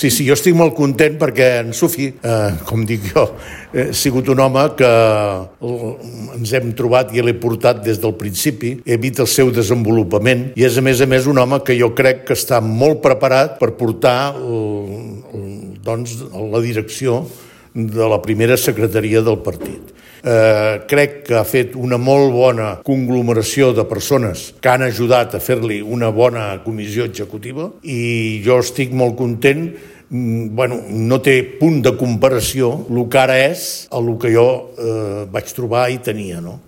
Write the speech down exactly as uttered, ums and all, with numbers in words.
Sí, sí, jo estic molt content perquè en Sufi, eh, com dic jo, ha sigut un home que ens hem trobat i l'he portat des del principi, he vist el seu desenvolupament i és a més a més un home que jo crec que està molt preparat per portar doncs, la direcció de la primera secretaria del partit. Eh, crec que ha fet una molt bona conglomeració de persones que han ajudat a fer-li una bona comissió executiva i jo estic molt content. Bueno, no té punt de comparació el que ara és a el que jo eh, vaig trobar i tenia, no?